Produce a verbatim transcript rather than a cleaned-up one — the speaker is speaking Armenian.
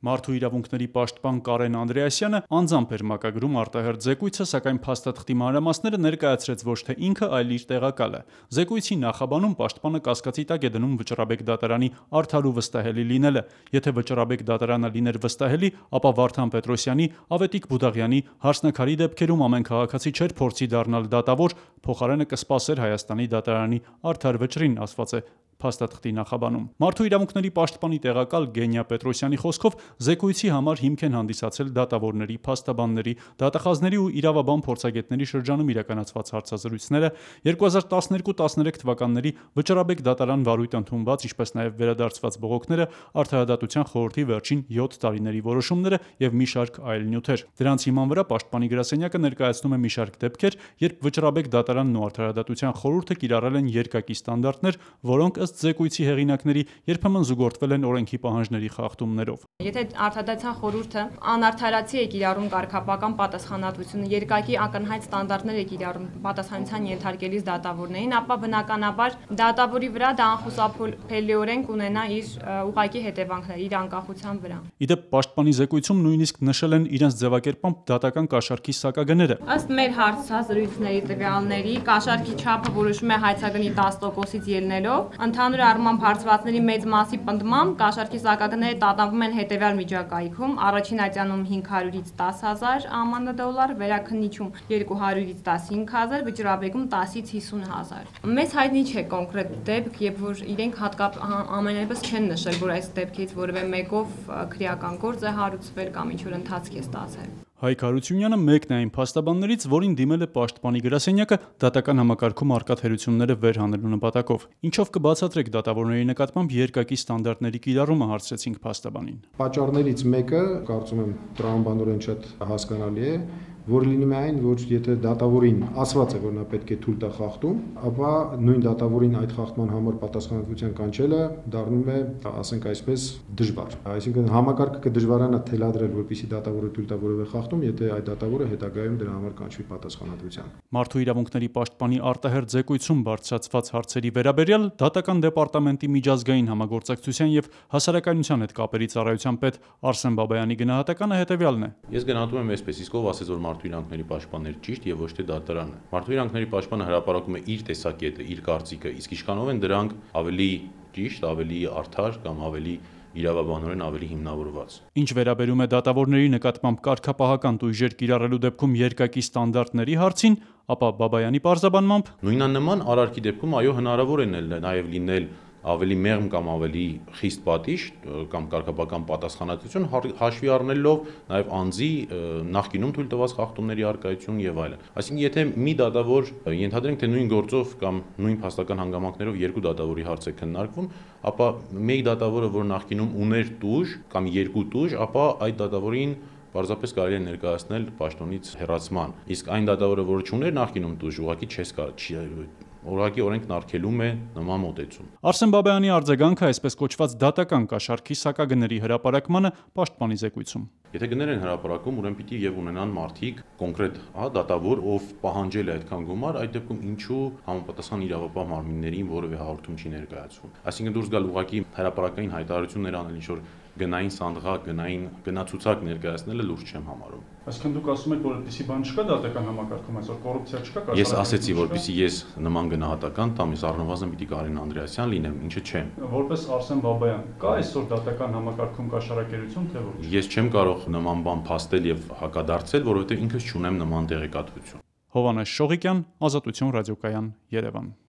Մարդու իրավունքների պաշտպան Կարեն Անդրեասյանը անձամբ էր մակագրում արտահերթ զեկույցը, սակայն փաստաթղթի մանրամասները ներկայացրեց ոչ թե ինքը, այլ իր տեղակալը։ Զեկույցի նախաբանում պաշտպանը կասկածի տակ է դնում Վճռաբեկ դատարանի արդար ու վստահելի լինելը։ Եթե Վճռաբեկ դատարանը լիներ վստահելի, ապա Վարդան Պետրոսյանի, Ավետիք Բուդաղյանի, Հարսնաքարի դեպքերում ամեն քաղաքացի չէր փորձի դառնալ դատավոր, փոխարենը կսպասեր Հայաստանի դատարանի արդար վճռին, ասված է փաստաթղթի նախաբանում։ Մարդու իրավունքների պաշտպանի տեղակալ Գենյա Պետրոսյանի խոսքով զեկույցի համար հիմք են հանդիսացել դատավորների, փաստաբանների, դատախազների ու իրավաբան փորձագետների շրջանում իրականացված հարցազրույցները, երկու հազար տասներկու տասներեք թվականների Վճռաբեկ դատարան վարույթ ընդունված, ինչպես նաև վերադարձված բողոքները, Արդարադատության խորհրդի վերջին յոթ տարիների որոշումները եւ մի շարք այլ նյութեր։ Դրանց հիման վրա պաշտպանի գրասենյակը ներկայացնում է մի շարք դեպքեր, երբ Վճռաբեկ դատարանն ու Արդարադատության խորհուրդը կիրառել են երկակի ստանդարտներ, որոնք ըստ զեկույցի հեղինակների երբեմն զուգորդվել են օրենքի պահանջների խախտումներով։ Եթե Արդարադատության խորհուրդը անարդարացի է կիրառում կարգապահական պատասխանատվությունը, երկակի ակնհայտ ստանդարտներ է կիրառում պատասխանատվության ենթարկելիս դատավորներին, ապա բնականաբար դատավորի վրա դա անխուսափելիորեն կունենա իր ուղղակի հետևանքներ իր անկախության վրա։ Իդեպ պաշտպանի զեկույցում նույնիսկ նշել են իրենց ձևակերպամբ դատական կաշառքի սակագները։ Ըստ մեր հարցազրույցների տվյալների, կաշառքի չափը որոշվում է հայցագնի տասը տոկոսից ելնելով, ընդհանուր առմամբ հարցվածների մեծ մասի պնդմամբ կաշառքի սակագները տատանվում են հետևյալ միջակայքում՝ առաջին ատյանում հինգ հարյուրից տասը հազար ԱՄՆ դոլար, վերաքննիչում երկու հարյուրից տասնհինգ հազար, Վճռաբեկում տասից հիսուն հազար։ Մեզ հայտնի չէ կոնկրետ դեպք, եւ որ իրենք հատկապես ամենայնպես չեն նշել, որ այս դեպքից որևէ մեկով քրեական գործ է հարուցվել կամ ինչ-որ ընթացք է ստացել։ Հայկ Հարությունյանը մեկն է այն փաստաբաններից, որին դիմել է պաշտպանի գրասենյակը դատական համակարգում առկա թերությունները վերհանելու նպատակով։ Ինչով կբացատրեք դատավորների նկատմամբ երկակի ստանդարտների կիրառումը, հարցրեցինք փաստաբանին։ Պատճառներից մեկը, կարծում եմ, տրամաբանորեն շատ հասկանալի է, որ լինում է այն, որ եթե դատավորին ասված է, որ նա պետք է թույլ տա խախտում, ապա նույն դատավորին այդ խախտման համար պատասխանատվության կանչելը դառնում է, ասենք այսպես, դժվար։ Այսինքն համակարգը կդժվարանա թելադրել, որպեսզի դատավորը թույլ տա որևէ խախտում, եթե այդ դատավորը հետագայում դրա համար կանչվի պատասխանատվության։ Մարդու իրավունքների պաշտպանի արտահերթ զեկույցում բարձրացված հարցերի վերաբերյալ Դատական դեպարտամենտի միջազգային համագործակցության եւ հասարակայնության հետ կապերի ծառայության պետ Արսեն Բաբայանի գնահատականը հետեւյալն է։ Ես գնահատում եմ այսպես, իսկ ով ասեց, որ մարդու իրավունքների պաշտպանն էր ճիշտ եւ ոչ թե դատարանը։ Մարդու իրավունքների պաշտպանը հրապարակում է իր տեսակետը, իր կարծիքը, իսկ ինչքանով են դրանք ավելի ճիշտ, ավելի արդար կամ ավելի իրավաբանորեն ավելի հիմնավորված։ Ինչ վերաբերում է դատավորների նկատմամբ կարգապահական տույժեր կիրառելու դեպքում երկակի ստանդարտների հարցին, ապա Բաբայանի պարզաբանմամբ նույնանման արարքի դեպքում այո հնարավոր է նաև լինել ավելի մեղմ կամ ավելի խիստ պատիժ կամ կարգապահական պատասխանատվություն հաշվի առնելով նաև անձի նախկինում թույլ տված խախտումների առկայություն եւ այլն։ Այսինքն եթե մի դատավոր ենթադրենք թե նույն գործով կամ նույն փաստական հանգամանքներով երկու դատավորի հարց է քննարկվում, ապա մեկ դատավորը, որ նախկինում ուներ տուժ կամ երկու տուժ, ապա այդ դատավորին պարզապես կարելի է ներկայացնել պաշտոնից հեռացման։ Իսկ այն դատավորը, որը չուներ նախկինում տուժ, ուղղակի չես կարող Օրակի օրենքն արգելում է նման մոտեցում։ Արսեն Բաբայանի արձագանքը այսպես կոչված դատական կաշառքի սակագների հրապարակմանը պաշտպանի զեկույցում։ Եթե գներ են հրապարակում, ուրեմն պիտի եւ ունենան մարդիկ կոնկրետ, հա, դատավոր, ով պահանջել է այդքան գումար, այդ դեպքում ինչու համապատասխան իրավապահ մարմիններին որևէ հաղորդում չի ներկայացվում։ Այսինքն դուրս գալ ուղղակի հրապարակային հայտարարություններ անել, ինչ որ գնային սանդղակ, գնային գնացուցակ ներկայացնելը լուրջ չեմ համարում։ Այսինքն դուք ասում եք, որ այդպիսի բան չկա դատական համակարգում, այսօր կոռուպցիա չկա։ Ես ասեցի, որպեսզի ես նման գնահատական տամ, ես առնվազն պիտի Կարեն Անդրեասյան լինեմ, ինչը չեմ։ Որպես Արսեն Բաբայան, կա այսօր դատական համակարգում կաշառակերություն, թե ոչ։ Ես չեմ կարող նման բան փաստել եւ հակադարձել, որովհետեւ ինքս չունեմ նման տեղեկատվություն։ Հովհաննես Շողիկյան, Ազատություն ռադիոկայան, Երևան։